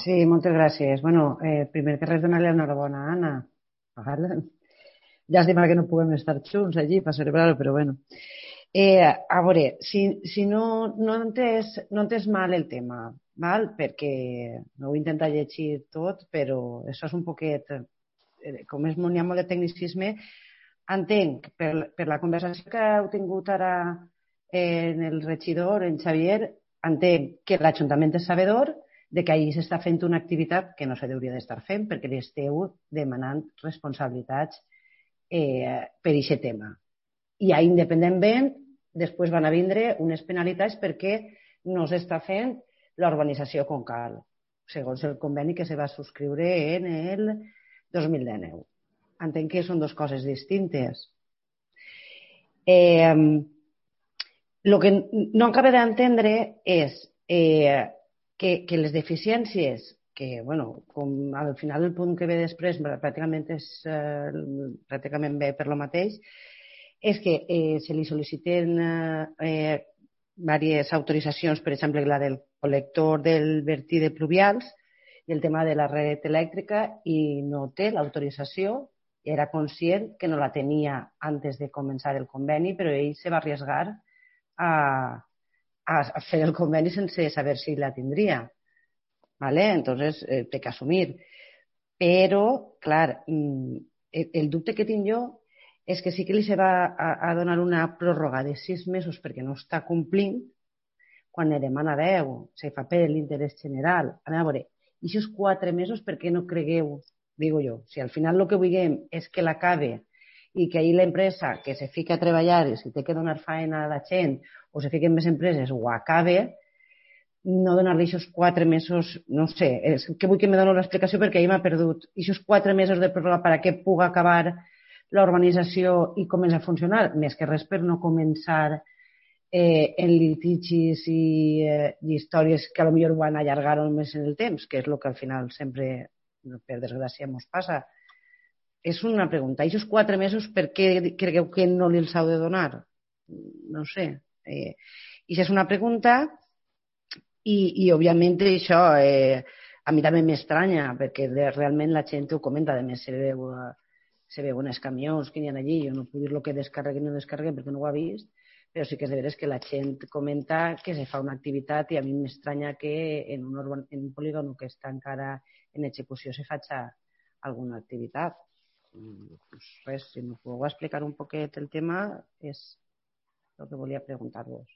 Sí, moltes gràcies. Bueno, primer que res, donar-li enhorabona a Anna. Val? Llàstima que no puguem estar junts allí per celebrar-ho, però bueno. A veure, si no entès mal el tema, val? Perquè no ho he intentat llegir tot, però això és un poquet, com és n'hi ha molt de tecnicisme, entenc, per la conversació que heu tingut ara en el regidor, en Xavier, entenc que l'Ajuntament és sabedor de que ahir s'està fent una activitat que no se hauria d'estar fent perquè li esteu demanant responsabilitats per aquest tema. I independentment, després van a vindre unes penalitats perquè no s'està fent l'urbanització com cal, segons el conveni que se va subscriure en el 2019. Entenc que són dues coses distintes. El que no acaba d'entendre és que les deficiències, que bueno, com al final el punt que ve després pràcticament ve per lo mateix, és que se li sol·liciten diverses autoritzacions, per exemple la del col·lector del vertí de pluvials i el tema de la red elèctrica, i no té l'autorització. Era conscient que no la tenia antes de començar el conveni, però ell se va arriesgar a fer el conveni sense saber si la tindria. ¿Vale? Entonces, té que assumir. Però, clar, el dubte que tinc jo és que sí que li se va a donar una pròrroga de 6 mesos perquè no està complint, quan ne demana 10, se fa per l'interès general. A veure, i aquests 4 mesos per què no cregueu, digo jo, si al final el que vulguem és que l'acabe i que ahir l'empresa que se fica a treballar i si té que donar feina a la gent o se fiquen més empreses ho acabe, no donar-li aquests 4 mesos, no sé, és que vull que me doni l'explicació perquè ahir m'ha perdut. I aquests 4 mesos de pròrroga per a què puga acabar l'urbanització i començar a funcionar, més que res per no començar en litigis i històries que potser van allargar més en el temps, que és el que al final sempre, per desgràcia, ens passa. És una pregunta. I aquests 4 mesos per què cregueu que no li els heu de donar? No sé. I això és una pregunta i òbviament això a mi també m'estranya perquè realment la gent ho comenta, a més se veuen els camions que hi ha allí, jo no puc dir el que descarreguen o no descarreguen perquè no ho ha vist, però sí que és de veres que la gent comenta que se fa una activitat i a mi m'estranya que en un polígon que està encara en execució se faci alguna activitat. Pues res, si m'ho podeu explicar un poquet el tema és el que volia preguntar-vos.